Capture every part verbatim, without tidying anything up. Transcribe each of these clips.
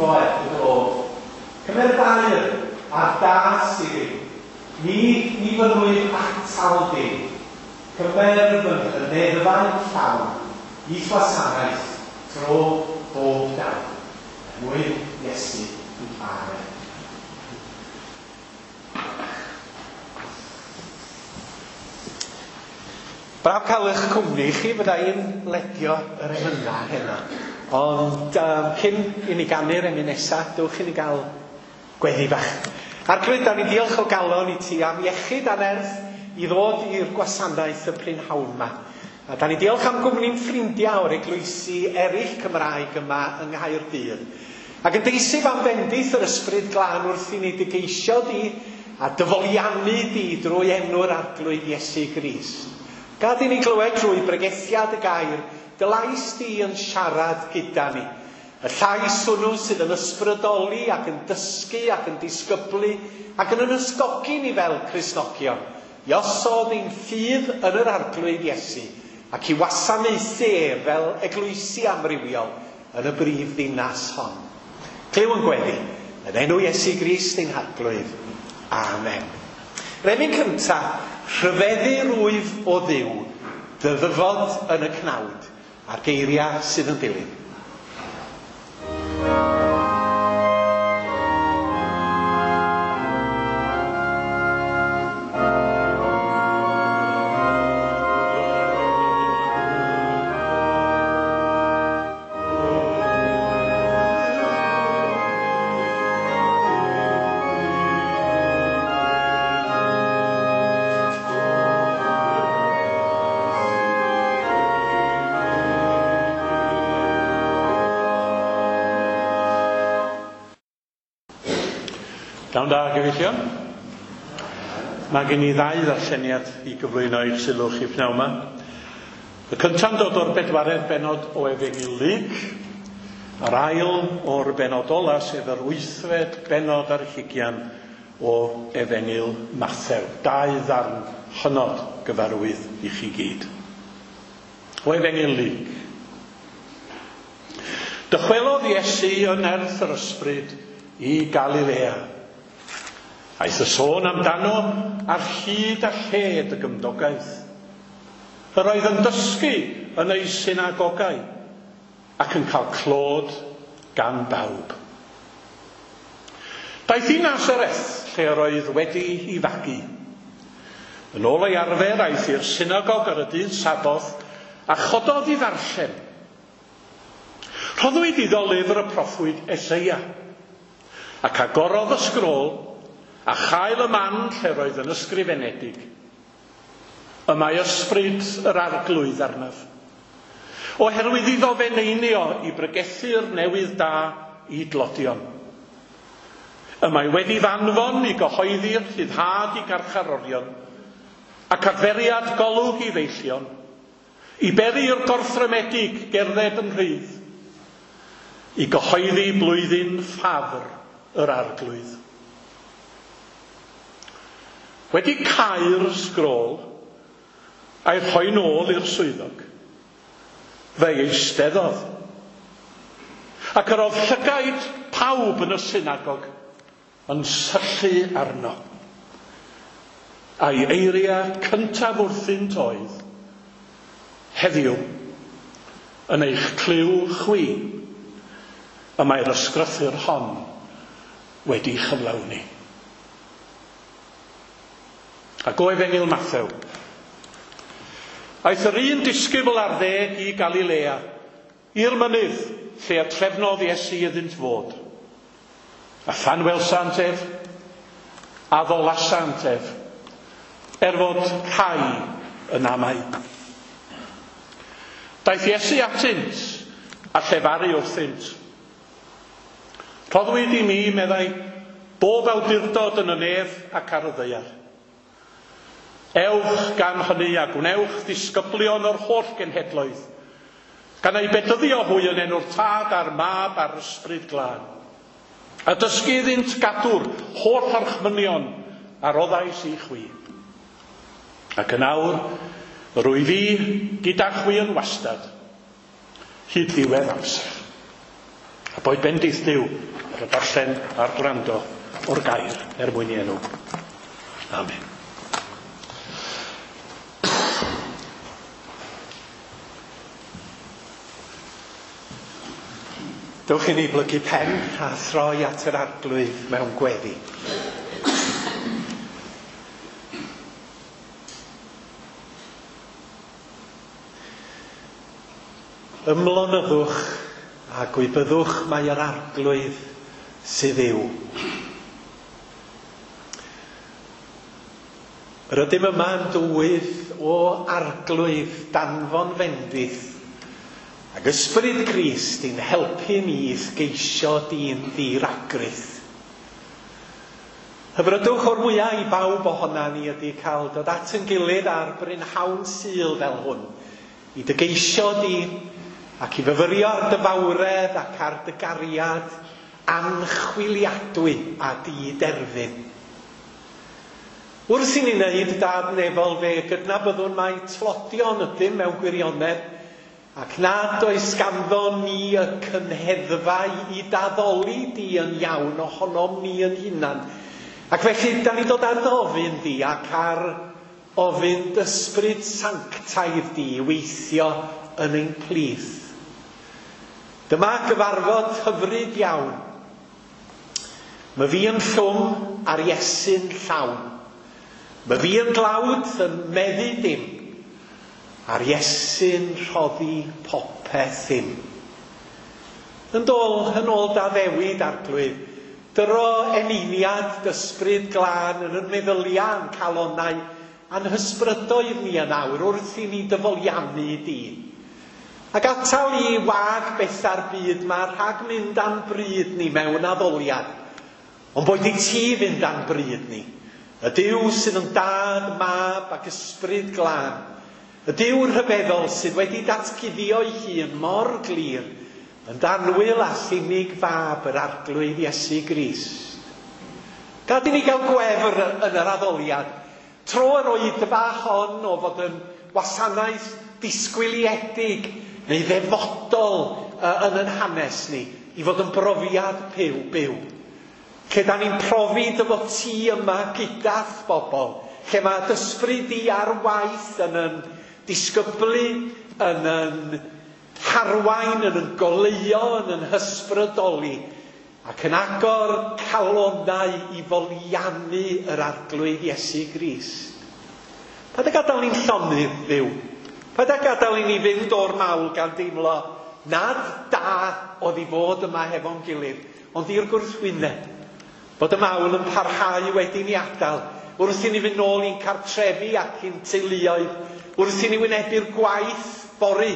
brifo er dy glod. Cymer dair a'r das i fi. Ni, ni fynnwyf atal dim. Cymer fy nghyneddfau'n llawn i'th wasanaeth tro bob dawn. Er mwyn Iesu. Amen. Braf cael eich cwmni chi, fydda i'n ledio yr emynau heno. Ond um, cyn i ni ganu'r emyn nesaf, dewch i ni gael gweddi bach. Arglwydd, da ni'n diolch o galon i ti am iechyd a nerth i ddod i'r gwasanaeth y prynhawn yma. A da ni'n diolch am gwmni'n ffrindiau o'r eglwysi eraill Cymraeg yma yng Nghaerdydd. Ac yn deisif am fendith yr Ysbryd Glân wrth i ni dy geisio di a dyfoliannu di drwy enw'r Arglwydd Iesu Grist. Gad i ni glywed drwy bregethiad y gair, dy lais di yn siarad gyda ni. Y llais hwnnw sydd yn ysbrydoli ac yn dysgu ac yn disgyblu ac yn ysgogi ni fel Cristnogion i osod ein ffydd yn yr Arglwydd Iesu ac i wasanaethu ef fel eglwysi amrywiol yn y brif ddinas hon. Clyw yn gweddi, yn enw Iesu Grist ein Harglwydd. Amen. Yr emyn cyntaf, rhyfeddu rwyf o Dduw, dy ddyfod yn y cnawd, a'r geiriau sydd yn dilyn. Iawn da, gyfeillion. Mae gen i ddau ddarlleniad i gyflwyno i'ch sylw chi pnawn yma. Y cynta'n dod o'r bedwaredd bennod o Efengyl Luc, a'r ail o'r bennod ola, sef yr wythfed bennod ar hugian o Efengyl Mathew. Dau ddarn hynod gyfarwydd i chi gyd. O Efengyl Luc. Dychwelodd Iesu yn nerth yr Ysbryd i Galilea. Aeth y sôn amdano ar hyd a lled y gymdogaeth. Yr oedd yn dysgu yn ei synagogau ac yn cael clod gan bawb. Daeth i Nasareth, lle yr oedd wedi ei fagu. Yn ôl ei arfer, aeth i'r synagog ar y dydd Saboth a chododd i ddarllen. Rhoddwyd iddo lyfr y proffwyd Eseia, ac agorodd y sgrôl a chael y man lle roedd yn ysgrifenedig. Y mae ysbryd yr Arglwydd arnaf, oherwydd iddo fe neinio i bregethu'r newydd da i dlodion. Y mae wedi fanfon i gyhoeddi'r rhyddhad i garcharorion, ac adferiad golwg i feillion, i beri'r gorthrymedig gerdded yn rhydd, i gyhoeddi blwyddyn ffafr yr Arglwydd. Wedi cau'r sgrôl a'i rhoi nôl i'r swyddog, fe eisteddodd. Ac yr oedd llygaid pawb yn y synagog yn syllu arno. A'i eiriau cyntaf wrthynt oedd, heddiw, yn eich clyw chwi, y mae'r ysgrythur hon wedi chyflawni. Ac o Efengyl Mathew. Aeth yr un disgybl ar ddeg i Galilea, i'r mynydd lle y trefnodd Iesu iddynt fod. A phan welsant ef, a ddolasant ef, er fod rhai yn amau. Daeth Iesu atynt a llefaru wrthynt. Rhoddwyd i mi, meddai, bob awdurdod yn y nef ac ar y ddaear. Ewch gan hynny a gwnewch ddisgyblion o'r holl genhedloedd, gan eu bedyddio hwy yn enw'r Tad a'r Mab a'r Ysbryd Glân, a dysgu iddynt gadw'r holl orchmynion a roddais i chwi. Ac yn awr, rwyf fi gyda chwi yn wastad, hyd ddiwedd amser. A boed bendith Duw ar y darllen a'r gwrando o'r gair er mwyn i enw. Amen. Dewch i ni blygu pen a throi at yr Arglwydd mewn gweddi. Ymlonyddwch a gwybyddwch mai yr Arglwydd sydd yw. Yr ydym yma yn dywydd o Arglwydd danfon fendith ac ysbryd Crist i'n helpu ni i'th geisio di'n ddiragrith. Hyfrydwch o'r mwyaf i bawb ohona ni ydy cael dod at yn gilydd ar brynhawn Sul fel hwn, i dy geisio di ac i fyfyrio ar dy fawredd ac ar dy gariad anchwiliadwy a di-derfyn. Wrth i ni wneud dad nefol fe gydnabyddwn mai tlodion ydym mewn gwirionedd ac nad oes ganddo ni y cynheddfau i daddoli di yn iawn ohonom ni yn hunan. Ac felly, da ni dod ar ofyn di ac ar ofyn ysbryd sanctaidd di i weithio yn ein plith. Dyma gyfarfod hyfryd iawn. Mae fi yn llwm a'r Iesu'n llawn. Mae fi yn dlawd yn meddu dim. A'r Iesu'n rhoddi popeth im. Yn dôl, yn ôl d'addewid Arglwydd, dyro eneiniad d'ysbryd glân yn yn meddyliau a'n calonnau a'n hysbrydoedd ni yn awr wrth i ni dyfoliannu di. Ac atal i wag bethau'r byd ma rhag mynd a'n bryd ni mewn addoliad. Ond boed i ti fynd a'n bryd ni. Y Duw sydd yn dad, mab ac ysbryd glân. Y Duw rhyfeddol sydd wedi datguddio'i hun mor glir yn danwyl a unig fab yr Arglwydd Iesu Grist. Gad i ni gael gwefr yn yr addoliad. Tro yr oedfa hon o fod yn wasanaeth disgwyliedig neu ddefodol yn yn hanes ni i fod yn brofiad byw byw. Lle da ni'n profi dy fod ti yma gyda'th bobl. Lle mae d'ysbryd di ar waith yn yn disgyblu, yn yn harwain, yn yn goleuo, yn yn hysbrydoli ac yn agor calonnau i foliannu yr Arglwydd Iesu Grist. Paid â gadael ni'n llonydd, Dduw. Paid â gadael i ni fynd o'r mawl gan deimlo nad da oedd i fod yma hefo'n gilydd, ond i'r gwrthwyneb. Bod y mawl yn parhau wedi ni adael, wrth i ni fynd nôl i'n cartrefi ac i'n teuluoedd, wrth i ni wynebu'r gwaith fory,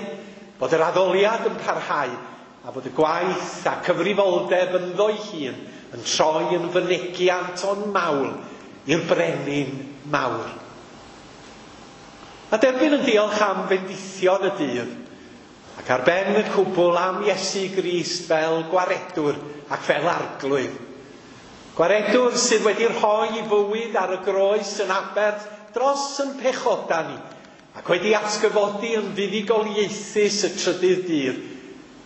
bod yr addoliad yn parhau, a bod y gwaith a cyfrifoldeb ynddo'i hun yn troi yn fynegiant o'n mawl i'r brenin mawr. A derbyn yn diolch am fendithion y dydd, ac ar ben y cwbl am Iesu Grist fel gwaredwr ac fel arglwydd. Gwaredwr sydd wedi rhoi i fywyd ar y groes yn aberth dros yn pechoda ni, ac wedi atgyfodi yn fuddugoliaethus y trydydd dydd.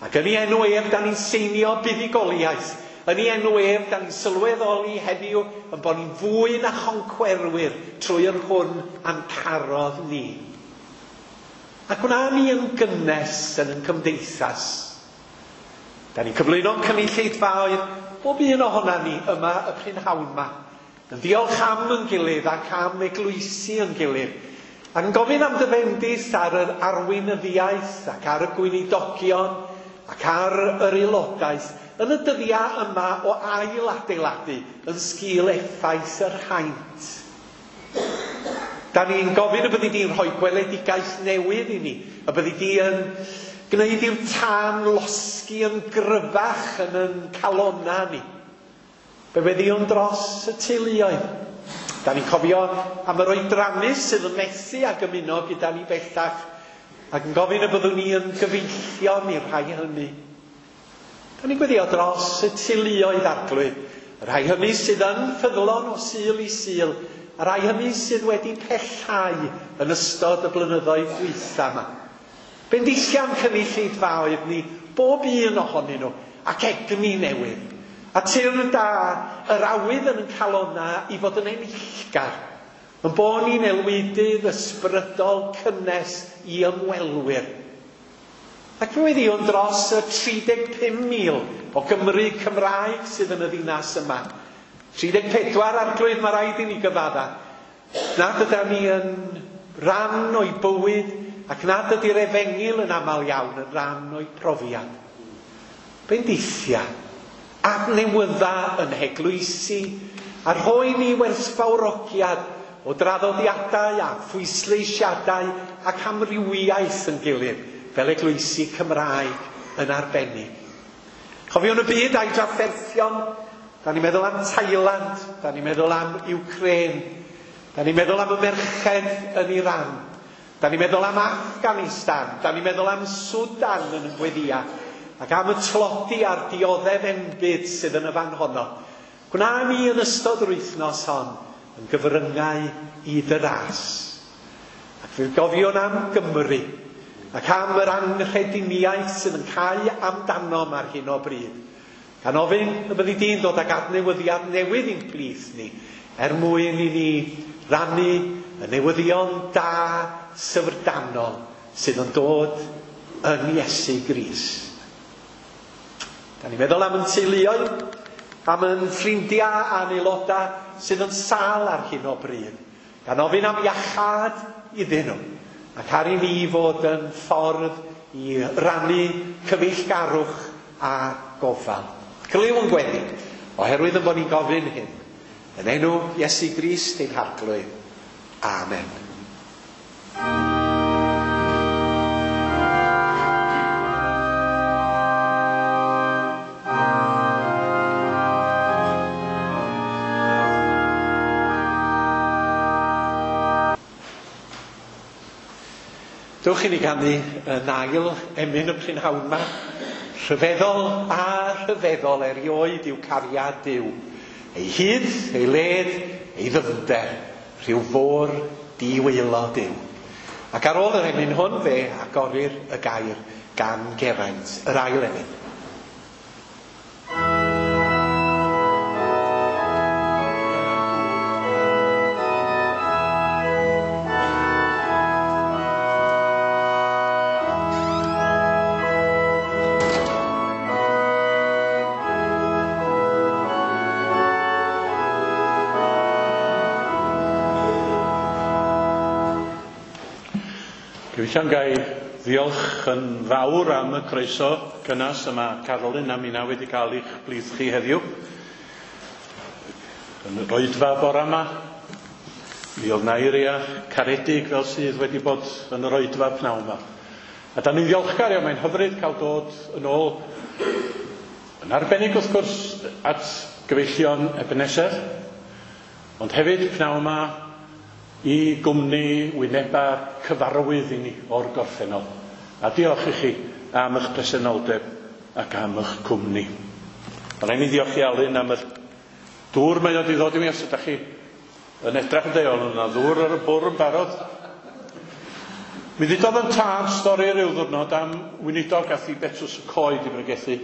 Ac yn ei enw ef, da ni'n seinio buddugoliaeth. Yn ei enw ef, da ni'n sylweddoli heddiw yn bod ni'n fwy na choncwerwyr trwy yr hwn a'n carodd ni. Ac gwna ni yn gynnes yn yn cymdeithas. Da ni'n cyflwyno'n cynulleidfaoedd bob un ohona ni yma y prynhawn yma. Yn ddiolch am yn gilydd ac am eglwysi yn gilydd. Ac yn gofyn am dy fendith ar yr arweinyddiaeth ac ar y gweinidogion ac ar yr aelodaeth yn y dyddiau yma o ail adeiladu yn sgil effaith yr haint. Da ni'n gofyn y byddi di'n rhoi gweledigaeth newydd i ni, y byddi di yn gwneud i'r tân losgi yn gryfach yn yn calonna ni. Be weddïwn dros y teuluoedd. Da ni'n cofio am yr oedrannus sydd yn methu ag ymuno gyda ni bellach, ac yn gofyn y byddwn ni yn gyfeillion i'r rhai hynny. Da ni'n gweddio dros y teuluoedd Arglwydd, y rhai hynny sydd yn ffyddlon o Sul i Sul, y rhai hynny sydd wedi pellhau yn ystod y blynyddoedd dwytha yma. Bendithiam cynulleidfaoedd ni, bob un ohonyn nhw, ac egni newydd. A tyrn da yr awydd yn ein calona i fod yn enillgar. Yn bod ni'n elwydydd ysbrydol cynnes i ymwelwyr. Ac fe weddïwn dros y tri deg pum mil o Gymru Cymraeg sydd yn y ddinas yma. tri deg pedwar arglwydd, mae rhaid i ni gyfadda. Nad ydan ni yn ran o'i bywyd ac nad ydy'r efengyl yn aml iawn yn ran o'i profiad. Bendithia, adnewydda yn heglwysi a rhoi ni werthfawrogiad o draddodiadau a phwysleisiadau ac amrywiaeth yn gilydd fel eglwysi Cymraeg yn arbennig. Chofiwn y byd a'i drafferthion, da ni'n meddwl am Thailand, da ni'n meddwl am Ukraine, da ni'n meddwl am y merched yn Iran, da ni'n meddwl am Afghanistan, da ni'n meddwl am Sudan yn y gweddia, ac am y tlodi a'r dioddef enbyd sydd yn y fan honno. Gwna ni yn ystod yr wythnos hon yn gyfryngau i dy ras. Ac fe gofiwn am Gymru, ac am yr anghrediniaeth sydd yn cau amdanom ar hyn o bryd. Gan ofyn y byddi di'n dod ag adnewyddiad newydd i'n plith ni, er mwyn i ni rannu y newyddion da syfrdanol sydd yn dod yn Iesu Grist. Da ni'n meddwl am yn teuluoedd, am yn ffrindiau a'n aelodau sydd yn sâl ar hyn o bryd. Gan ofyn am iachâd iddyn nhw, ac ar i ni fod yn ffordd i rannu cyfeillgarwch a gofal. Glyw yn gweddi, oherwydd yn bod ni'n gofyn hyn. Yn enw Iesu Grist ein Harglwydd. Amen. Dewch i ni ganu yn ail emyn y prynhawn yma. Rhyfeddol a rhyfeddol erioed yw cariad Duw. Ei hyd, ei led, ei ddyfnder, rhyw fôr diwaelod yw. Ac ar ôl yr emyn hwn fe agorir y gair gan Geraint, yr ail emyn. Gyfeillion, gai ddiolch yn fawr am y croeso cynnes yma Carolyn a minna wedi cael eich blith chi heddiw. Yn yr oedfa bora yma, mi oedd 'na eiria caredig fel sydd wedi bod yn yr oedfa pnawn yma. A da ni'n ddiolchgar iawn, mae'n hyfryd cael dod yn ôl, yn arbennig wrth gwrs at gyfeillion Ebenezer, ond hefyd pnawn yma i gwmni wyneba cyfarwydd i ni o'r gorffennol. A diolch i chi am eich presenoldeb ac am eich cwmni. Ond rhaid ni ddiolch i Alun am yr dŵr mae o wedi ddod i mi, os ydych chi yn edrych yn deol, yna ddŵr ar y bwrdd yn barod. Mi ddudodd yn tad stori ryw ddwrnod am weinidog ath i Betws y Coed i bregethu.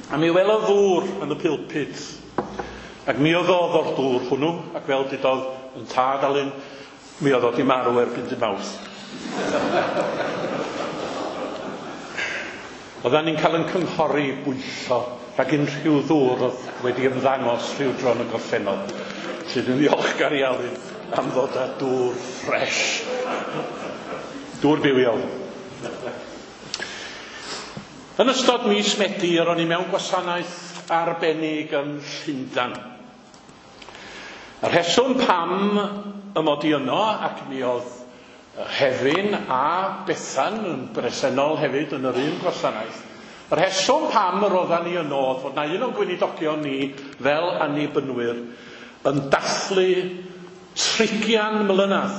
A mi welodd ddŵr yn y pulpit. Ac mi oedd o'r dŵr hwnnw, ac fel dudodd yn tad Alun, mi oedd o di marw erbyn dy Mawrth. Oeddan ni'n cael yn cynghori bwyllo rhag unrhyw ddŵr oedd wedi ymddangos rhyw dro yn y gorffennol. Sydd yn ddiolchgar i Alun am ddod â dŵr ffres. Dŵr bywiol. Yn ystod mis Medi, yr o'n i mewn gwasanaeth arbennig yn Llundain. Y rheswm pam y mod i yno, ac mi oedd Hefin a Bethan yn bresennol hefyd yn yr un gwasanaeth, y rheswm pam yr oeddan ni yno oedd fod na un o'n gweinidogion ni fel annibynwyr yn dathlu trigian mlynedd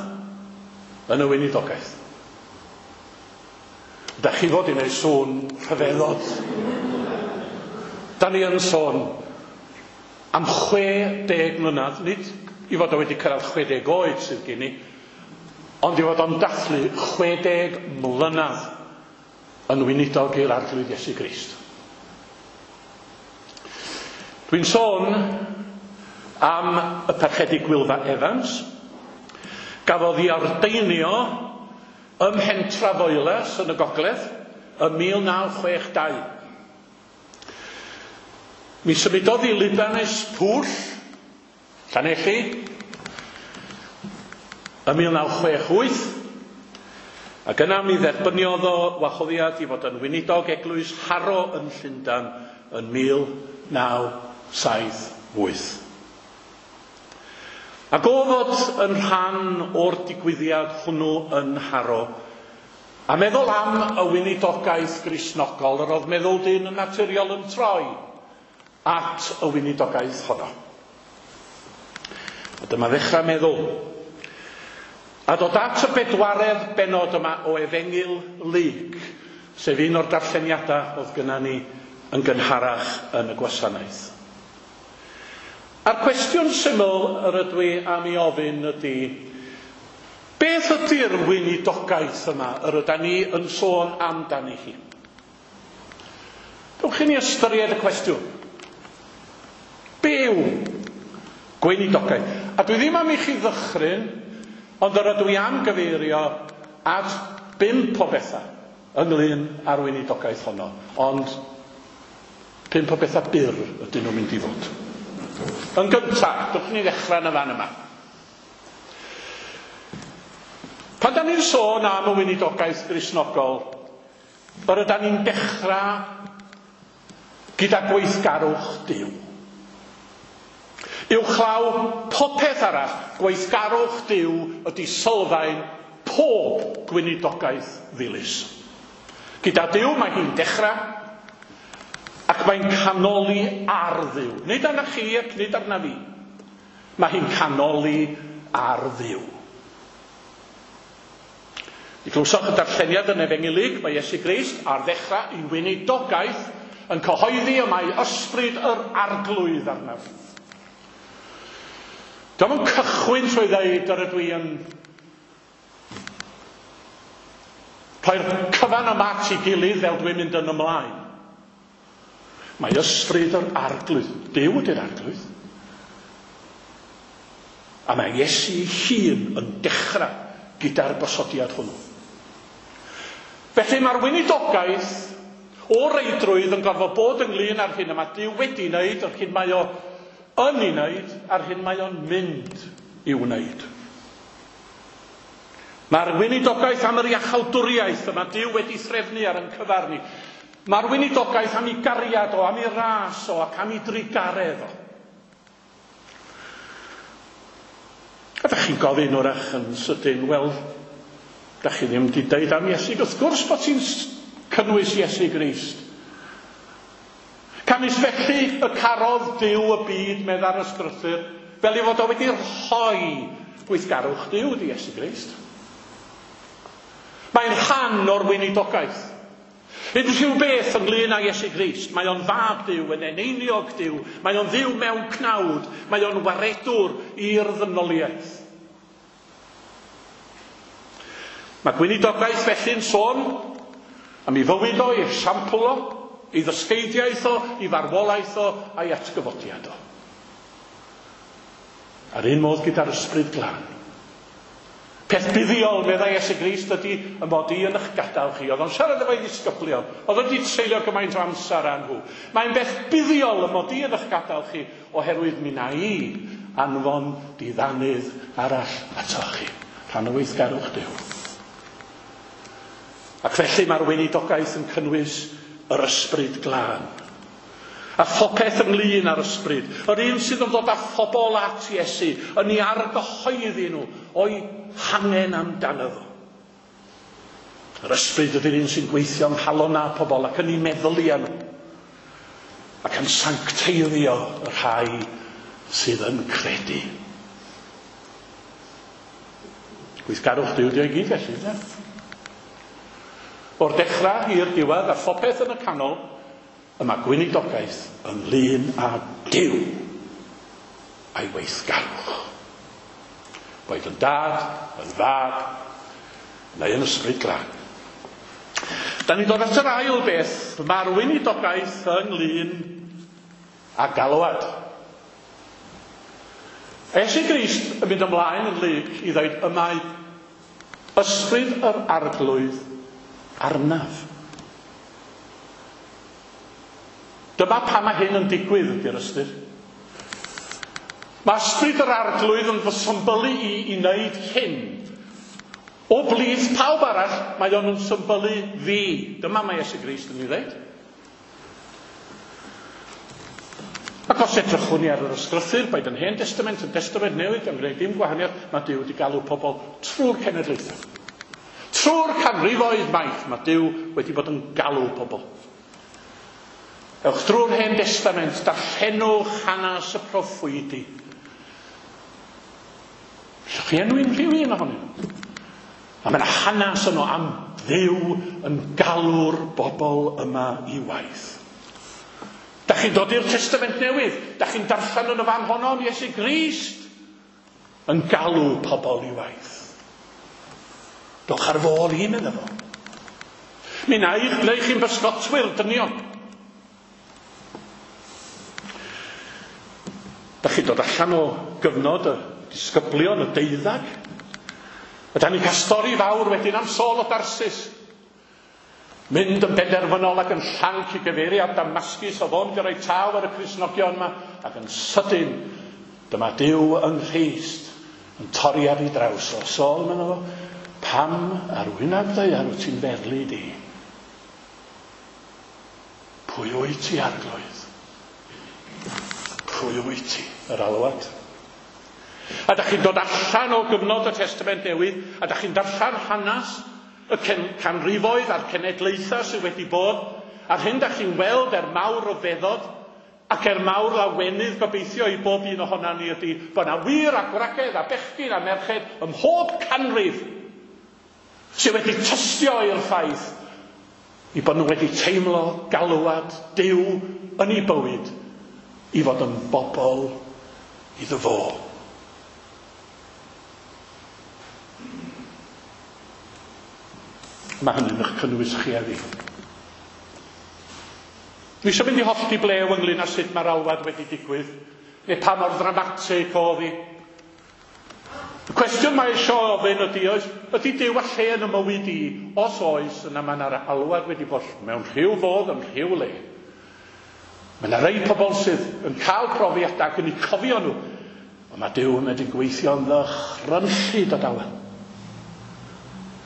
yn y weinidogaeth. Da chi fod i wneud sŵn rhyfeddod. Da ni yn sôn am chwe deg mlynedd, nid i fod o wedi cyrraedd chwe deg oed sydd gen i, ond i fod o'n dathlu chwe deg mlynedd yn weinidog i'r Arglwydd Iesu Grist. Dwi'n sôn am y Parchedig Gwylfa Evans, gafodd ei ordeinio ym Mhentra Foelas yn y Gogledd ym mil naw chwech dau. Mi symudodd i Libanus Pwll, Llanelli, ym mil naw chwech wyth, ac yna mi dderbyniodd o wahoddiad i fod yn weinidog eglwys Harrow yn Llundain yn mil naw saith wyth. Ac o fod yn rhan o'r digwyddiad hwnnw yn Harrow, a meddwl am y weinidogaeth Gristnogol, yr oedd meddwl dyn yn naturiol yn troi at y weinidogaeth honno. A dyma ddechrau meddwl. A dod at y bedwaredd bennod yma o Efengyl Luc, sef un o'r darlleniadau oedd gynna ni yn gynharach yn y gwasanaeth. A'r cwestiwn syml yr ydw i am ei ofyn ydy, beth ydy'r weinidogaeth yma yr ydan ni yn sôn amdani hi? Dewch i ni ystyried y cwestiwn. Be yw gweinidogaeth? A dwi ddim am i chi ddychryn, ond yr ydw i am gyfeirio at bump o bethau ynglyn â'r weinidogaeth honno. Ond pump o bethau byr ydyn nhw'n mynd i fod. Yn gyntaf, dewch ni ddechrau yn y fan yma. Pan da ni'n sôn am y weinidogaeth Gristnogol, yr ydan ni'n dechrau gyda gweithgarwch Duw. Uwchlaw popeth arall, gweithgarwch Duw ydy sylfaen pob gweinidogaeth ddilys. Gyda Duw mae hi'n dechrau, ac mae'n canoli ar Dduw. Nid arna chi ac nid arna fi. Mae hi'n canoli ar Dduw. Mi glywsoch y darlleniad yn Efengyl Luc, mae Iesu Grist ar ddechrau ei weinidogaeth yn cyhoeddi y mae ysbryd yr Arglwydd arnaf. Dio'm yn cychwyn trwy ddeud yr ydw i yn rhoi'r cyfan yma at ei gilydd fel dwi'n mynd yn ymlaen. Mae ysbryd yr Arglwydd, Duw ydy'r Arglwydd. A mae Iesu ei hun yn dechrau gyda'r gosodiad hwnnw. Felly mae'r weinidogaeth o reidrwydd yn gorfod bod ynglyn â'r hyn y mae Duw wedi wneud, yr hyn mae o yn ei wneud, a'r hyn mae o'n mynd i'w wneud. Mae'r weinidogaeth am yr iachawdwriaeth y mae Duw wedi threfnu ar ein cyfar ni. Mae'r weinidogaeth am ei gariad o, am ei ras o, ac am ei drugaredd o. A dach chi'n gofyn wrach yn sydyn, wel, dach chi ddim wedi deud am Iesu. Wrth gwrs bod ti'n cynnwys Iesu Grist. Canys felly y carodd Duw y byd, medda'r ysgrythur, fel ei fod o wedi rhoi gweithgarwch Duw i Iesu Grist. Mae'n rhan o'r weinidogaeth. Unrhyw beth ynglyn â Iesu Grist, mae o'n fab Duw, yn eneiniog Duw, mae o'n dduw mewn cnawd, mae o'n waredwr i'r ddynoliaeth. Mae gweinidogaeth felly'n sôn am ei fywyd o, ei esiampl o, ei ddysgeidiaeth o, ei farwolaeth o, a'i atgyfodiad o. A'r un modd gyda'r Ysbryd Glân. Peth buddiol, meddai Iesu Grist, ydy y mod i yn eich gadael chi. Oedd o'n siarad efo'i ddisgyblion. Oedd o'n di treulio gymaint o amser â nhw. Mae'n beth buddiol y mod i yn eich gadael chi oherwydd mi na i anfon diddanydd arall atoch chi. Rhan o weithgarwch Duw. Ac felly mae'r weinidogaeth yn cynnwys yr Ysbryd Glân. A phopeth ynglyn â'r ysbryd. Yr un sydd yn dod â phobl at Iesu, yn ei argyhoeddi nhw o'i hangen amdano fo. Yr ysbryd ydy'r un sy'n gweithio yng nghalon â pobl ac yn ei meddylia nhw. Ac yn sancteiddio y rhai sydd yn credu. Gweithgarwch Duw 'di o i gyd felly, ynde? O'r dechrau i'r diwedd a phopeth yn y canol, y mae gweinidogaeth ynglyn â Duw a'i weithgarwch. Boed yn dad, yn fab, neu yn Ysbryd Glân. Da ni'n dod at yr ail beth, mae'r weinidogaeth ynglyn a galwad. Iesu Grist yn mynd ymlaen yn Luc i ddweud y mae ysbryd yr Arglwydd arnaf. Dyma pam mae hyn yn digwydd ydy'r ystyr. Mae ysbryd yr Arglwydd yn fy symbylu i i wneud hyn. O blith pawb arall, mae o'n yn symbylu fi. Dyma mae Iesu Grist yn ei ddweud. Ac os edrychwn ni ar yr ysgrythur, boed yn Hen Testament, yn Testament Newydd, gan gwneud dim gwahaniaeth, mae Duw wedi galw pobl trwy'r cenedlaethau. Trwy'r canrifoedd maith, mae Duw wedi bod yn galw pobl. Ewch drwy'r Hen Testament, darllenwch hanes y proffwydi. Allwch chi enwi unrhyw un ohonyn nhw. A mae yna hanes yno am Dduw yn galw'r bobl yma i waith. Da chi'n dod i'r Testament Newydd, da chi'n darllen yn y fan honno am Iesu Grist yn galw pobl i waith. Dowch ar fôl i, medda fo. Mi wna i gwneud chi'n bysgotwyr dynion. Da chi'n dod allan o gyfnod y disgyblion, y deuddag. A da ni'n cael stori fawr wedyn am Saul o Darsus. Mynd yn benderfynol ac yn llanc i gyfeiriad Damascus, oedd o'n gyrraedd taw ar y Cristnogion yma, ac yn sydyn, dyma Duw yng Nghrist yn torri ar ei draws o. Saul, medda fo, pam ar wyneb ddaear wyt ti'n ferlu di? Pwy wyt ti, Arglwydd? Pwy wyt ti? Yr alwad. A da chi'n dod allan o gyfnod y Testament Newydd, a da chi'n darllen hanes y canrifoedd a'r cenedlaethau sydd wedi bod, a'r hyn da chi'n weld er mawr ryfeddod ac er mawr lawenydd gobeithio i bob un ohonan ni ydy bod yna wir a gwragedd a bechgyn a merched ym mhob canrif sydd wedi tystio i'r ffaith i bod nhw wedi teimlo galwad Duw yn eu bywyd i fod yn bobl iddo fo. Mae hynny'n eich cynnwys chi a fi. Dwi eisiau mynd i hollti blew ynglyn â sut mae'r alwad wedi digwydd, neu pa mor ddramatig oedd hi. Y cwestiwn mae eisiau ofyn ydy, oes, ydy Duw â lle yn y mywyd i? Os oes, yna mae yna'r alwad wedi bod mewn rhyw fodd, yn rhyw le. Mae yna rei pobl sydd yn cael profiadau ac yn eu cofio nhw, ond mae Duw yn medru gweithio'n ddychrynllyd o dawel.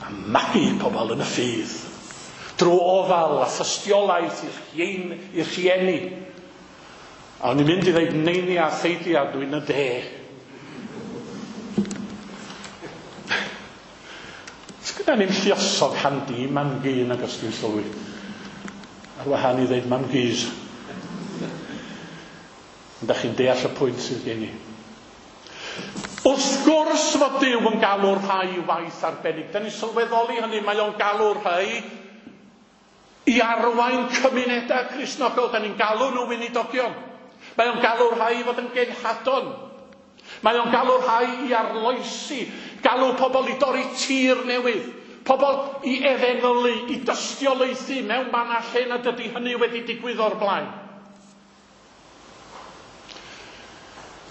A magu pobl yn y ffydd, drwy ofal a thystiolaeth i'r rhieni. A o'n i'n mynd i ddeud neini a theidi a dwi'n y de. Sgynna ni'n lluosog handi mam-gu nag os dwi'n sylwi. Ar wahân i ddeud mam-gus. Ond da chi'n deall y pwynt sydd gen i. Wrth gwrs fod Duw yn galw'r rhai i waith arbennig. Da ni'n sylweddoli hynny, mae o'n galw'r rhai i arwain cymunedau Cristnogol. Da ni'n galw nhw weinidogion. Mae o'n galw'r rhai i fod yn genhadon. Mae o'n galw'r rhai i arloesi, galw pobl i dorri tir newydd, pobl i efengylu, i dystiolaethu mewn man a lle nad ydy hynny wedi digwydd o'r blaen.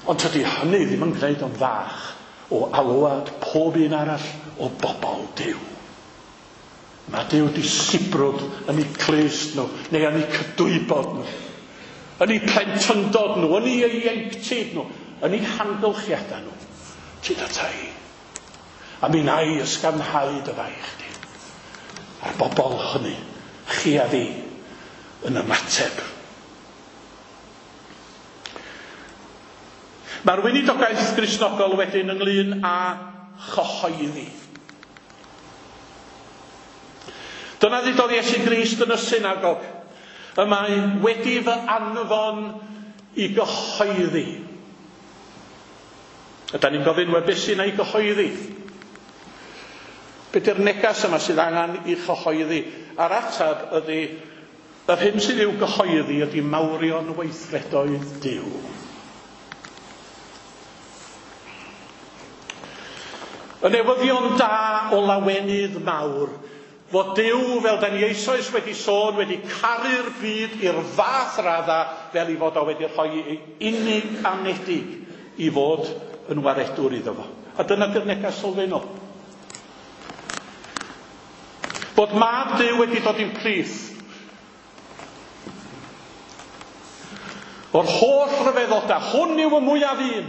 Ond tydi hynny ddim yn gwneud o'n fach o alwad pob un arall o bobl Duw. Mae Duw di sibrwd yn eu clust nhw, neu yn eu cydwybod nhw, yn eu plentyndod nhw, yn eu ieuenctid nhw, yn eu hamgylchiadau nhw. Tyd ata i. A mi wna i ysgafnhau dy faich di. A'r bobl hynny, chi a fi, yn ymateb. Mae'r weinidogaeth Gristnogol wedyn ynglyn â chyhoeddi. Dyna ddudodd Iesu Grist yn y synagog. Y mae wedi fy anfon i gyhoeddi. A da ni'n gofyn, wel, beth sy'n ei gyhoeddi? Be di'r negas yma sydd angen i chyhoeddi? A'r ateb ydy, yr hyn sydd i'w gyhoeddi ydy mawrion weithredoedd Duw. Y newyddion da o lawenydd mawr Fod Duw, fel da ni eisoes wedi sôn, wedi caru'r byd i'r fath radda fel i fod o wedi rhoi ei unig anedig i fod yn waredwr iddo fo. A dyna di'r neges sylfaenol. Bod mab Duw wedi dod i'n plith. O'r holl ryfeddodau, hwn yw y mwyaf un.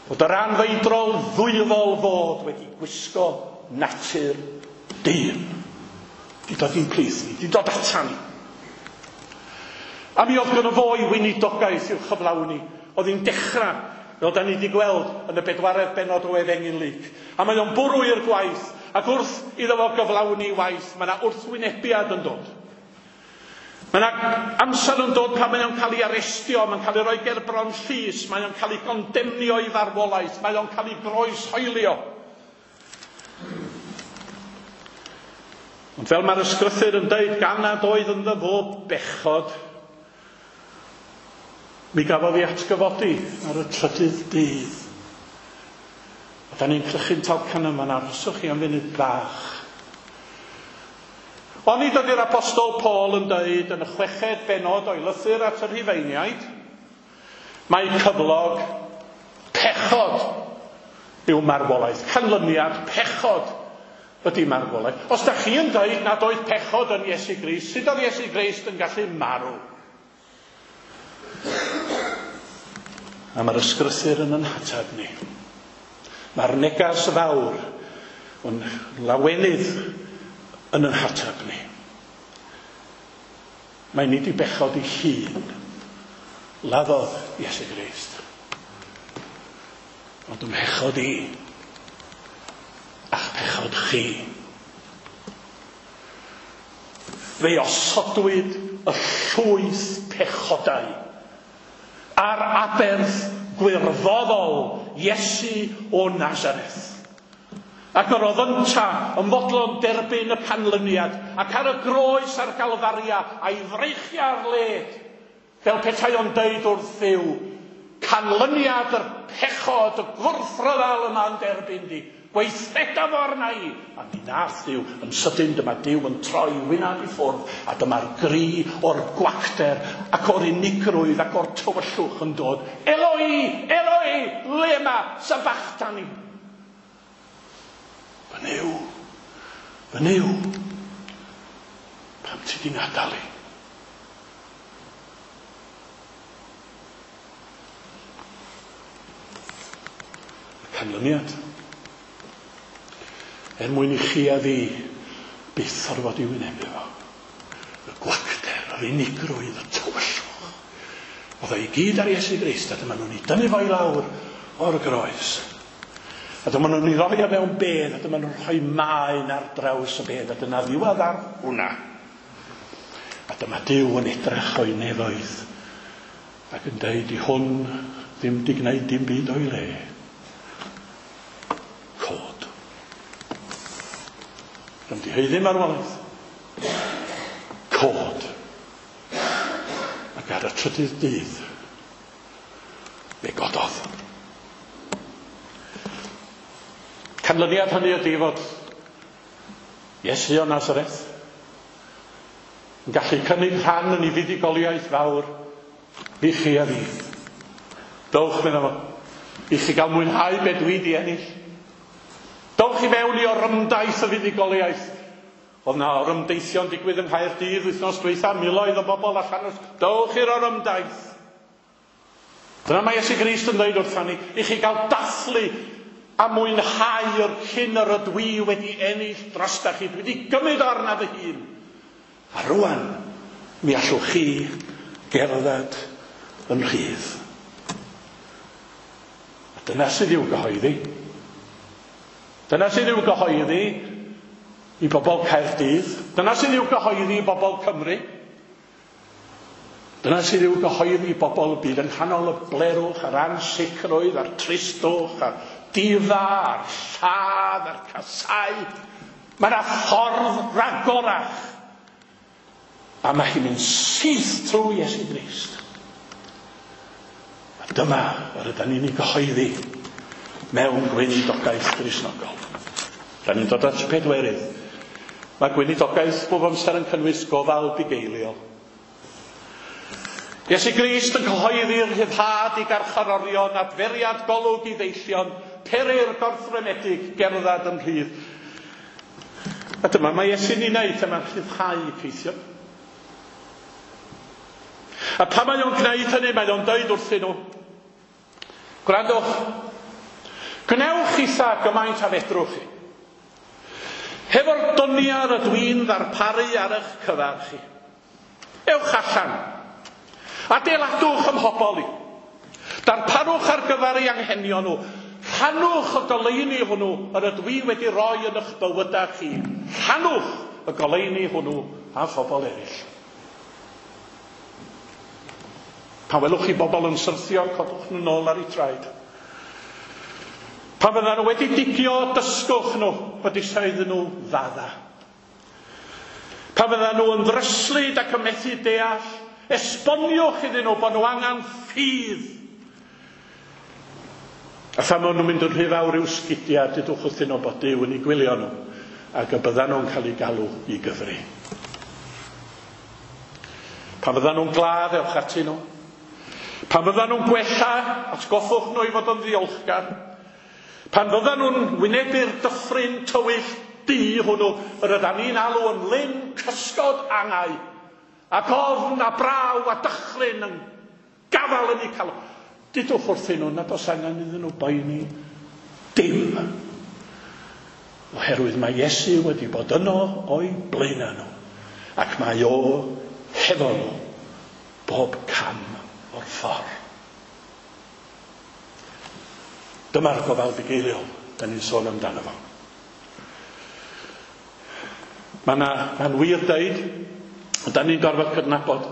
Bod yr anfeidrol ddwyfol fod wedi gwisgo natur dyn. Di dod i'n plith ni, di dod atan ni. A mi oedd gynno fo i weinidogaeth i'w chyflawni. Oedd hi'n dechrau, fel da ni wedi gweld yn y bedwaredd bennod o Efengyl Luc. A mae o'n bwrw i'r gwaith, ac wrth iddo fo gyflawni waith, mae yna wrthwynebiad yn dod. Mae yna amser yn dod pan mae o'n cael ei arestio, mae'n cael ei roi gerbron llys, mae o'n cael ei gondemnio i farwolaeth, mae o'n cael ei groeshoelio. Ond fel mae'r ysgrythur yn deud, gan nad oedd ynddo fo bechod, mi gafodd ei atgyfodi ar y trydydd dydd. A da ni'n crychu'n talcan yma, arhoswch chi am funud bach. Onid ydy'r apostol Paul yn deud yn y chweched bennod o'i lythyr at y Rhufeiniaid, mae cyflog pechod yw marwolaeth. Canlyniad pechod ydy marwolaeth. Os da chi yn deud nad oedd pechod yn Iesu Grist, sut oedd Iesu Grist yn gallu marw? A mae'r ysgrythur yn yn hateb ni. Mae'r negas fawr yn lawenydd yn yn hateb ni. Mae nid i bechod i hun laddodd Iesu Grist, ond ym mhechod i a'ch pechod chi. Fe osodwyd y llwyth pechodau a'r aberth gwirfoddol Iesu o Nazareth. Ac yr oedd ynta yn fodlon derbyn y canlyniad, ac ar y groes a'r Galfaria a'i freichiau ar led, fel petai o'n deud wrth Dduw, canlyniad yr pechod, y gwrthryfel yma'n derbyn di, gweithreda fo arna i. A mi nath Duw, yn sydyn dyma Duw yn troi wynaf i ffwrdd, a dyma'r gri o'r gwacter ac o'r unigrwydd ac o'r tywyllwch yn dod. Eloi, Eloi, lema sabachthani. Fy Nuw, fy Nuw, pam ti di ngadael i? Y canlyniad, er mwyn i chi a fi byth orfod i wynebu fo. Y gwacter, yr unigrwydd, y tywyllwch. Oedd o i gyd ar Iesu Grist, a dyma nhw'n ei dynnu fo i lawr o'r groes. A dyma nhw'n ei roi o mewn bedd, a dyma nhw'n rhoi maen ar draws y bedd, a dyna ddiwedd ar hwnna. A dyma Duw yn edrych o'i nefoedd, ac yn deud i hwn ddim di gwneud dim byd o'i le. Cod. Ddim di haeddu marwolaeth. Cod. Ac ar y trydydd dydd, fe gododd. Canlyniad hynny ydy fod Iesu o Nazareth yn gallu cynnig rhan yn ei fuddugoliaeth fawr i chi a fi. Dowch, meddai fo, i chi gael mwynhau be dwi di ennill. Dowch i mewn i orymdaith y fuddugoliaeth. Oedd na orymdeithio'n digwydd yng Nghaerdydd wythnos dwytha, miloedd o bobl allan. Dowch i'r orymdaith. Dyna mae Iesu Grist yn dweud wrtha ni, i chi gael dathlu a mwynhau yr hyn yr ydw i wedi ennill drosta chi. Dwi wedi gymryd arna fy hun. A rwan, mi allwch chi gerdded yn rhydd. A dyna sydd i'w gyhoeddi. Dyna sydd i'w gyhoeddi i bobl Caerdydd. Dyna sydd i'w gyhoeddi i bobl Cymru. Dyna sydd i'w gyhoeddi i bobl y byd yng nghanol y blerwch, a'r ansicrwydd, a'r tristwch, a'r difa, a'r lladd, a'r casau. Mae yna ffordd ragorach. A mae hi'n mynd syth trwy Iesu Grist. A dyma yr ydyn ni'n ei gyhoeddi mewn gweinidogaeth Gristnogol. Da ni'n dod at y pedwerydd. Mae gweinidogaeth bob amser yn cynnwys gofal bugeiliol. Iesu Grist yn cyhoeddi'r rhyddhad i garcharorion, adferiad golwg i ddeillion, pery'r gorthrymedig, gerdded yn rhydd. A dyma mae Iesu'n ei wneud, yma'n rhyddhau caethion. A pan mae o'n gwneud hynny, mae o'n dweud wrthyn nhw, gwrandwch, gwnewch eitha gymaint a fedrwch chi. Hefo'r donia rydw i'n ddarparu ar eich cyfer chi. Ewch allan. Adeiladwch ym mhobol i. Darparwch ar gyfer eu anghenion nhw. Rhannwch y goleuni hwnnw yr ydw i wedi roi yn eich bywydau chi. Rhannwch y goleuni hwnnw â phobl eraill. Pan welwch chi bobl yn syrthio, codwch nhw nôl ar eu traed. Pan fyddan nhw wedi digio, dysgwch nhw bod eisiau iddyn nhw ddadda. Pan fyddan nhw yn ddryslyd ac yn methu deall, esboniwch iddyn nhw bod nhw angen ffydd. A phan maen nhw'n mynd yn rhy fawr i'w sgidiau, dudwch wrthyn nhw bod Duw yn eu gwylio nhw ac y byddan nhw'n cael eu galw i gyfri. Pan fyddan nhw'n gladd, ewch atyn nhw. Pan fyddan nhw'n gwella, atgoffwch nhw i fod yn ddiolchgar. Pan fyddan nhw'n wynebu'r dyffryn tywyll du hwnnw, yr ydan ni'n alw yn lyn cysgod angau, ac ofn a braw a dychryn yn gafael yn eu calon. Dudwch wrthyn nhw nad oes angen iddyn nhw boeni dim. Oherwydd mae Iesu wedi bod yno o'i blaenau nhw, ac mae o hefo nhw bob cam o'r ffordd. Dyma'r gofal bugeiliol da ni'n sôn amdano fo. Mae'n ma wir deud, ond da ni'n gorfod cydnabod,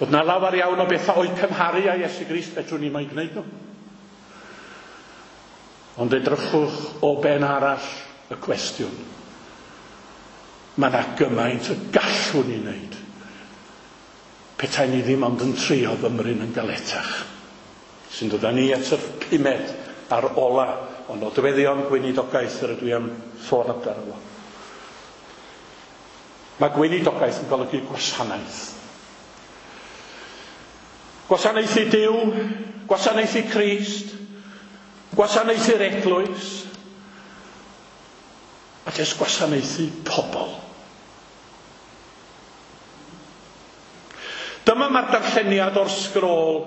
bod na lawer iawn o bethau o'u cymharu â Iesu Grist, fedrwn ni mo'i gwneud nhw. Ond edrychwch o ben arall y cwestiwn. Mae yna gymaint y gallwn ni wneud. Petai ni ddim ond yn trio fymryn yn galetach. Sy'n dod â ni at yr pumed a'r ola o nodweddion gweinidogaeth yr ydw i am sôn amdano fo. Mae gweinidogaeth yn golygu gwasanaeth. Gwasanaethu Duw, gwasanaethu Crist, gwasanaethu'r eglwys, a jyst gwasanaethu pobl. Dyma mae'r darlleniad o'r sgrôl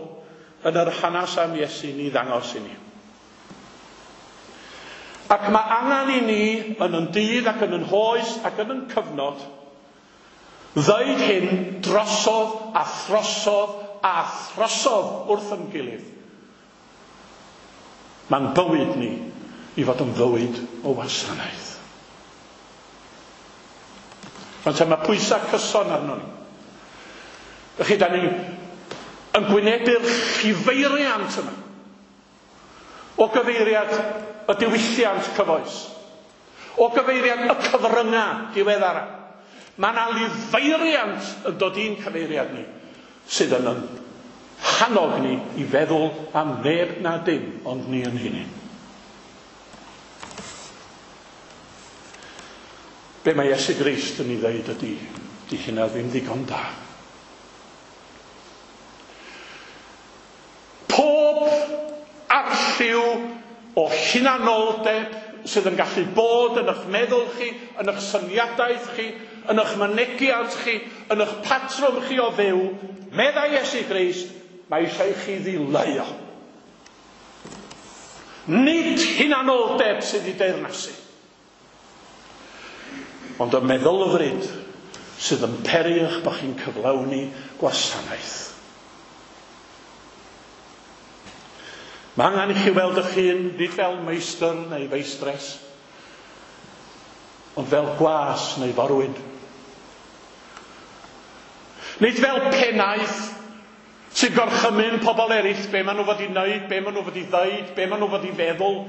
yn yr hanes am Iesu ni ddangos i ni. Ac mae angen i ni yn yn dydd ac yn yn hoes ac yn yn cyfnod ddeud hyn drosodd a throsodd a throsodd wrth yn gilydd. Mae'n bywyd ni i fod yn fywyd o wasanaeth. Ond mae pwysau cyson arno ni. Felly, da ni yn gwynebu'r llifeiriant yma o gyfeiriad y diwylliant cyfoes, o gyfeiriad y cyfryngau diweddara. Mae yna lifeiriant yn dod i'n cyfeiriad ni sydd yn yn hannog ni i feddwl am neb na dim ond ni yn hunain. Be mae Iesu Grist yn ei ddeud ydy, di hynna ddim ddigon da. Pob arlliw o hunanoldeb sydd yn gallu bod yn eich meddwl chi, yn eich syniadaeth chi, yn eich mynegiant chi, yn eich patrwm chi o fyw, meddai Iesu Grist, mae eisiau i chi ddileu. Nid hunanoldeb sydd i deyrnasu, ond y meddylfryd sydd yn peri eich bod chi'n cyflawni gwasanaeth. Mae angen i chi weld eich hun, nid fel meistr neu feistres, ond fel gwas neu forwyn. Nid fel pennaeth sy'n gorchymyn pobl eraill be maen nhw fod i wneud, be maen nhw fod i ddeud, be maen nhw fod i feddwl.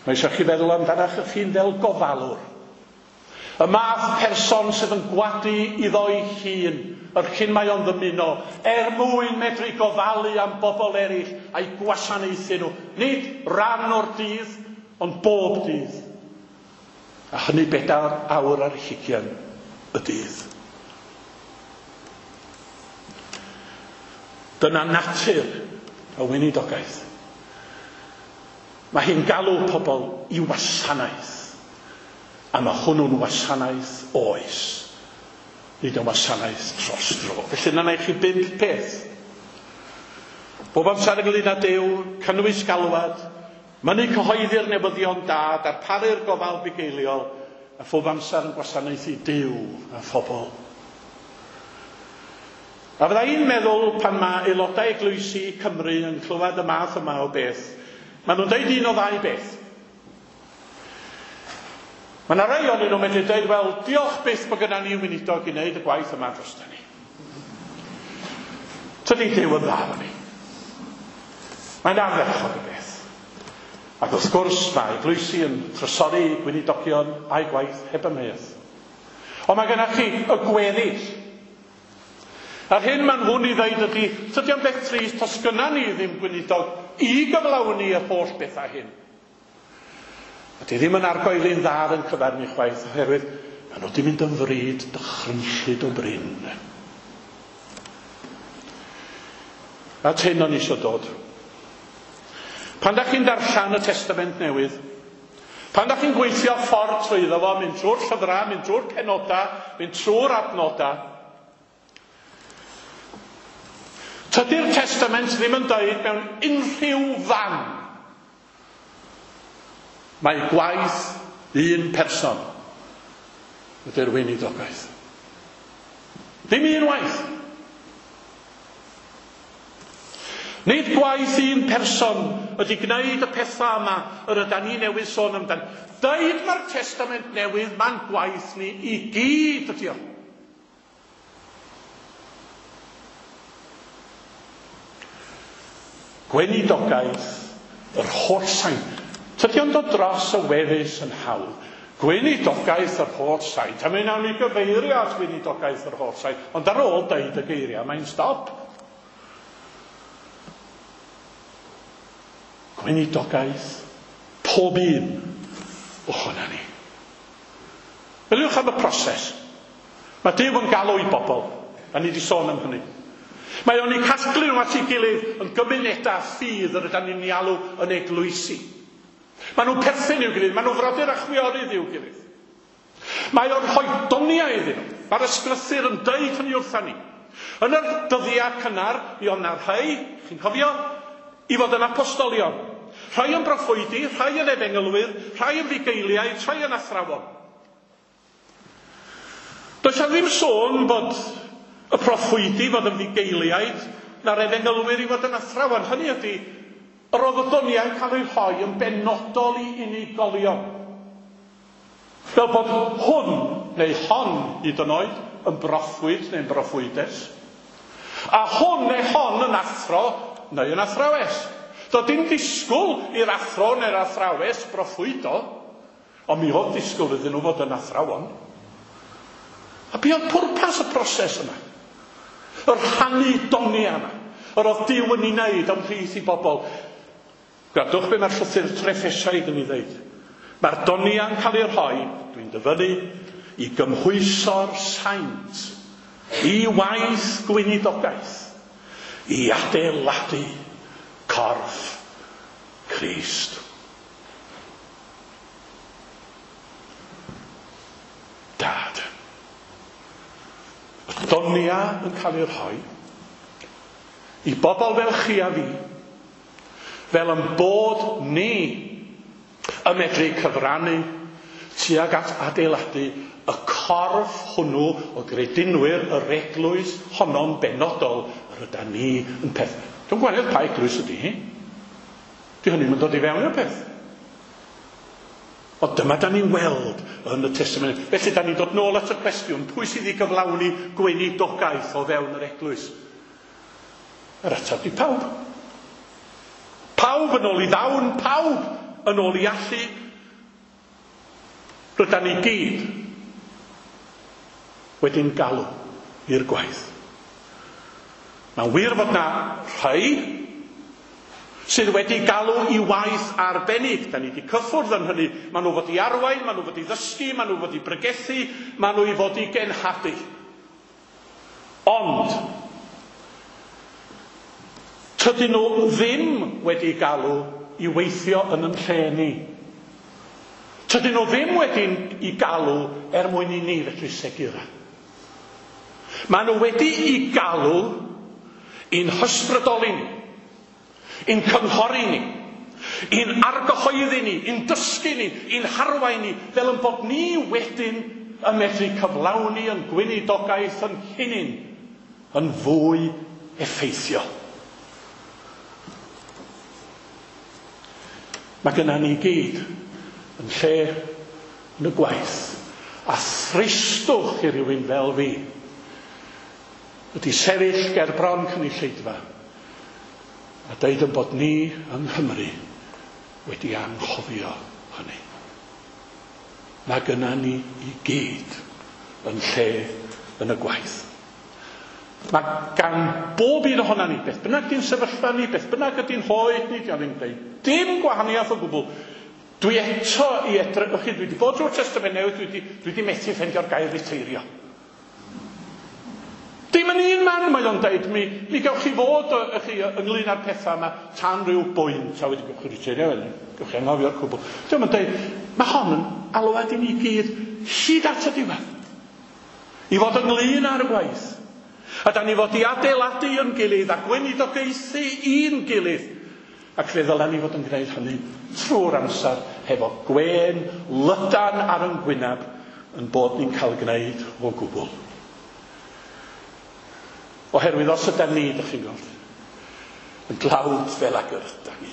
Mae eisiau chi feddwl amdanach eich hun fel gofalwr. Y math person sydd yn gwadu iddo'i hun, yr hyn mae o'n ddymuno, er mwyn medru gofalu am bobl eraill a'i gwasanaethu nhw. Nid ran o'r dydd, ond bob dydd. A hynny bedair awr ar hugain y dydd. Dyna natur y weinidogaeth. Mae hi'n galw pobl i wasanaeth. A mae hwnnw'n wasanaeth oes, nid yn wasanaeth dros dro. Felly yna i chi bump peth. Bob amser ynglyn â Duw, cynnwys galwad, mynnu cyhoeddi'r newyddion da, darparu'r gofal bugeiliol, a phob amser yn gwasanaethu Duw a phobl. A fydda i'n meddwl pan mae aelodau eglwysi Cymru yn clywed y math yma o beth, maen nhw'n deud un o ddau beth. Mae yna rai ohonyn nhw'n medru dweud, wel, diolch byth bod gyda ni weinidog i wneud y gwaith yma drosta ni. Tydi Duw yn dda efo ni. Mae'n ardderchog y beth. Ac wrth gwrs mae eglwysi yn trysori gweinidogion a'i gwaith heb amheuaeth. Ond mae gennych chi y gweddill. A'r hyn maen nhw'n ei ddeud ydy, tydi o'n beth trist, os gynna ni ddim gweinidog i gyflawni yr holl bethau hyn. A di ddim yn argoeli'n dda ar yn cyfer ni chwaith, oherwydd maen nhw wedi mynd yn fryd dychrynllyd o brin. At hyn o'n eisiau dod. Pan da chi'n darllen y Testament Newydd, pan da chi'n gweithio ffordd trwyddo fo, mynd trwy'r llyfrau, mynd trwy'r penodau, mynd trwy'r adnodau, tydi'r Testament ddim yn dweud mewn unrhyw fan mae gwaith un person ydy'r weinidogaeth. Ddim un waith. Nid gwaith un person ydy gwneud y pethau yma yr ydan ni newydd sôn amdan. Deud mae'r Testament Newydd, mae'n gwaith ni i gyd ydy o. Gweinidogaeth yr holl saint. Tydi o'n dod dros y wefus yn hawdd. Gweinidogaeth yr holl saint. A mi wnawn ni gyfeirio at weinidogaeth yr holl saint. Ond ar ôl deud y geiriau, mae'n stop. Gweinidogaeth pob un ohona ni. Meddyliwch am y proses. Mae Duw yn galw i bobl. A ni wedi sôn am hynny. Mae o'n eu casglu nhw at ei gilydd yn gymunedau ffydd yr ydan ni'n ei alw yn eglwysi. Maen nhw'n perthyn i'w gilydd, maen nhw'n frodyr a chwiorydd i'w gilydd. Mae o'n rhoi doniau iddyn nhw. Mae'r ysgrythur yn deud hynny wrtha ni. Yn yr dyddiau cynnar, mi oedd 'na rhai, chi'n cofio, i fod yn apostolion. Rhai yn broffwydi, rhai yn efengylwyr, rhai yn fugeiliaid, rhai yn athrawon. Does 'na ddim sôn bod y proffwydi fod yn fugeiliaid na'r efengylwyr i fod yn athrawon. Hynny ydy, yr oedd y doniau'n cael eu rhoi yn benodol i unigolion. Fel bod hwn, neu hon hyd yn oed, yn broffwyd neu'n broffwydes. A hwn neu hon yn athro neu yn athrawes. Doedd dim disgwyl i'r athro neu'r athrawes broffwydo, ond mi oedd disgwyl iddyn nhw fod yn athrawon. A be oedd pwrpas y proses yma? Yr rhannu doniau yma. Yr oedd Duw yn ei wneud ymhlith i bobl. Gwrandwch be mae'r llythyr Treffesiaid yn ei ddeud. Mae'r doniau'n cael ei rhoi, dwi'n dyfynnu, i gymhwyso'r saint, i waith gweinidogaeth, i adeiladu corff Crist. Dad. Y doniau yn cael ei rhoi i bobl fel chi a fi, fel yn bod ni yn medru cyfrannu tuag at adeiladu y corff hwnnw o gredinwyr yr eglwys honno'n benodol yr ydan ni yn peth. Dwi'n gweld pa eglwys ydy hi. Di hynny'n dod i fewn i'r peth. Ond dyma da ni'n weld yn y Testament. Felly da ni'n dod nôl at y cwestiwn, pwy sydd i gyflawni gweinidogaeth o fewn yr eglwys? Yr ateb di pawb. Pawb yn ôl i ddawn, pawb yn ôl i allu. Rydan ni gyd wedi'n galw i'r gwaith. Mae'n wir fod na rhai sydd wedi galw i waith arbennig. Da ni wedi cyffwrdd yn hynny. Maen nhw fod i arwain, maen nhw fod i ddysgu, maen nhw fod i bregethu, maen nhw i fod i genhadu. Ond, tydyn nhw ddim wedi galw i weithio yn yn lle ni. Tydyn nhw ddim wedi i galw er mwyn i ni fedru segura. Maen nhw wedi i galw i'n hysbrydoli ni, i'n cynghori ni, i'n argyhoeddi ni, i'n dysgu ni, i'n harwain ni, fel yn bod ni wedyn yn medru cyflawni yn gweinidogaeth yn hunain yn fwy effeithiol. Mae gynna ni gyd yn lle yn y gwaith a thristwch i rywun fel fi ydy sefyll ger bron cynulleidfa a deud yn bod ni yng Nghymru wedi anghofio hynny. Mae gynna ni i gyd yn lle yn y gwaith. Mae gan bob un ohonan ni, beth bynnag di'n sefyllfa ni, beth bynnag ydy'n hoed ni, di o'n i'n dweud dim gwahaniaeth o gwbl. Dwi eto i edrych, chi, dwi wedi bod drwy'r Testament Newydd, dwi wedi, dwi wedi methu ffeindio'r gair riteirio. Dim yn un man mae o'n deud, mi, mi gewch chi fod chi, ynglyn â'r pethau yma tan ryw bwynt, a wedi gewch chi riteirio wedyn, gewch chi anghofio'r cwbl. Dwi'n yn deud, mae hon yn alwad i ni gyd hyd at y diwedd. I fod ynglyn â'r gwaith. A da ni fod i adeiladu yn gilydd a gweinidogaethu i'n gilydd. Ac fe ddylen ni fod yn gwneud hynny trwy'r amser hefo gwên lydan ar yn gwyneb yn bod ni'n cael gwneud o gwbl. Oherwydd os ydyn ni, dych chi'n gweld, yn dlawd fel ag yr ydyn ni.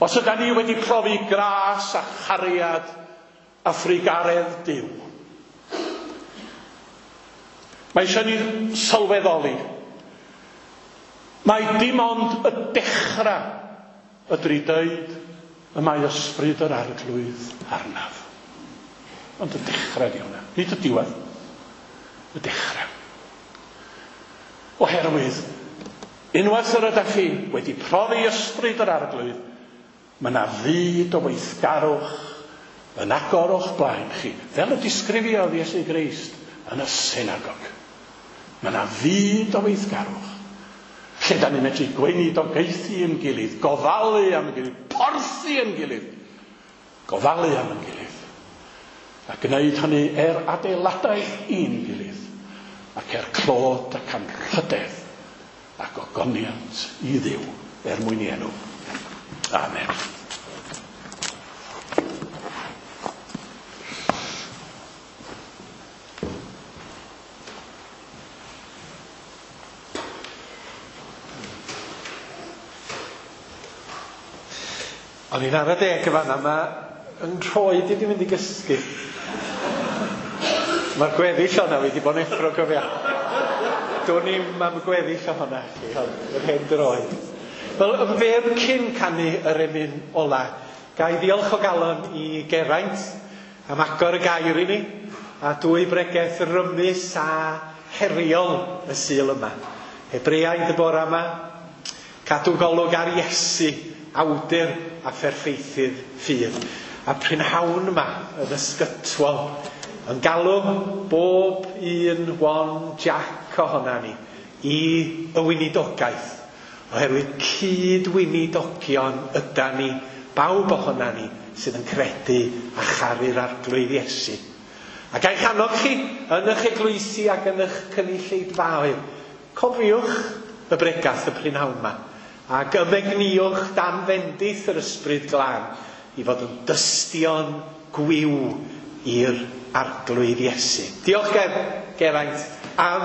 Os ydyn ni wedi profi gras a chariad a thrugaredd Duw, mae eisiau ni sylweddoli. Mae dim ond y dechrau ydw i dweud y mae ysbryd yr Arglwydd arnaf. Ond y dechrau di hwnna, nid y diwedd. Y dechrau. Oherwydd, unwaith yr ydych chi wedi profi ysbryd yr Arglwydd, mae yna fyd o weithgarwch yn agor o'ch blaen chi, fel y disgrifiodd Iesu Grist yn y synagog. Mae yna fyd o weithgarwch lle da ni'n medru gweinidogaethu yn gilydd, gofalu am yn gilydd, porthi yn gilydd, gofalu am yn gilydd, a gwneud hynny er adeiladaeth i'n gilydd, ac er clod ac anrhydedd ac ogoniant i Dduw er mwyn i enw. Amen. O'n i'n ara deg y fan'na, mae yn rhoed i wedi mynd i gysgu. Mae'r gweddill o'na wedi bod yn effro, cofia. Do'n i'm am y gweddill ohona chi, ond yr hen droed. Wel, yn fyr cyn canu yr emyn ola, ga i ddiolch o galon i Geraint am agor y gair i ni, a dwy bregeth rymus a heriol y Sul yma. Hebreaid y bore yma, cadw golwg ar Iesu, awdur a pherffeithydd ffydd. A prynhawn yma yn ysgytwol, yn galw bob un one Jack ohona ni i y weinidogaeth, oherwydd cyd-weinidogion yda ni, bawb ohona ni sydd yn credu a charu'r Arglwydd Iesu. Ac eich annog chi yn eich eglwysi ac yn eich cynulleidfaoedd, cofiwch y bregath y prynhawn yma, ac ymegniwch dan fendith yr Ysbryd Glân i fod yn dystion gwiw i'r Arglwydd Iesu. Diolch Ger, Geraint am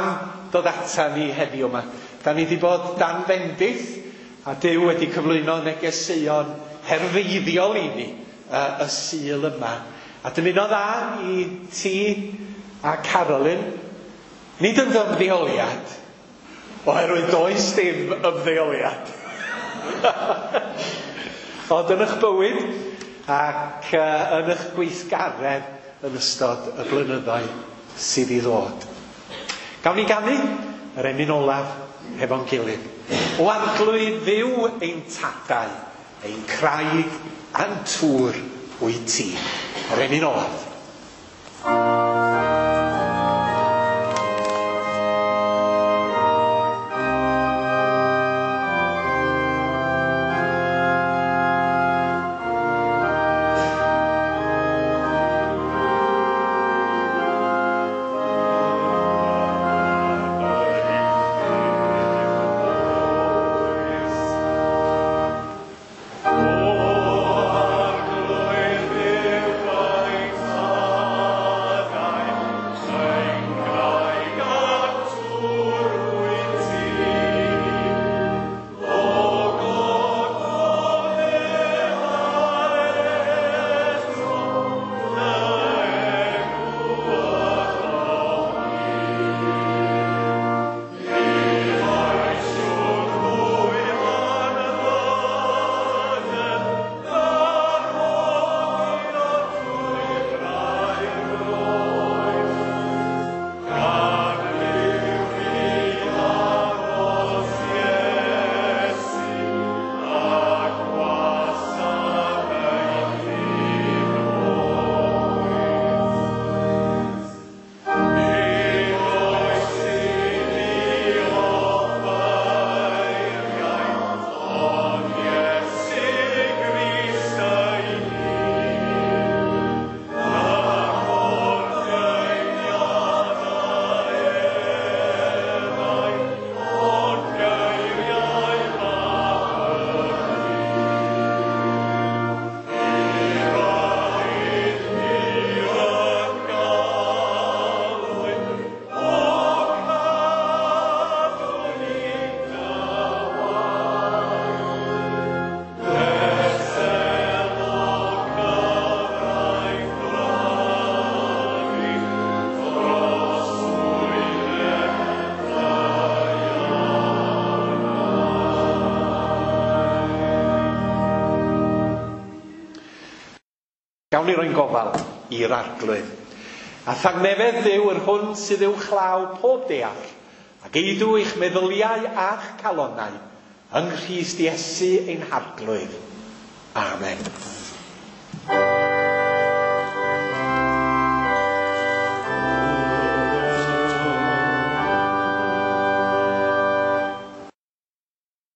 dod ata ni heddiw yma. Da ni wedi bod dan fendith a Duw wedi cyflwyno negeseuon herfeiddiol i ni uh, y Sul yma. A dymuno dda i ti a Carolyn, nid yn ymddeoliad, oherwydd does dim ymddeoliad. Ond yn eich bywyd ac uh, yn eich gweithgaredd yn ystod y blynyddoedd sydd i ddod. Gawn ni ganu yr emyn olaf hefo'n gilydd. O Arglwydd Dduw ein tadau, ein craig a'n tŵr wyt ti. Yr emyn olaf. Gawn ni roi'n gofal i'r Arglwydd. A thangnefedd Dduw yr hwn sydd uwchlaw pob deall, ac eidw eich meddyliau a'ch calonnau yng Nghrist Iesu ein Harglwydd. Amen.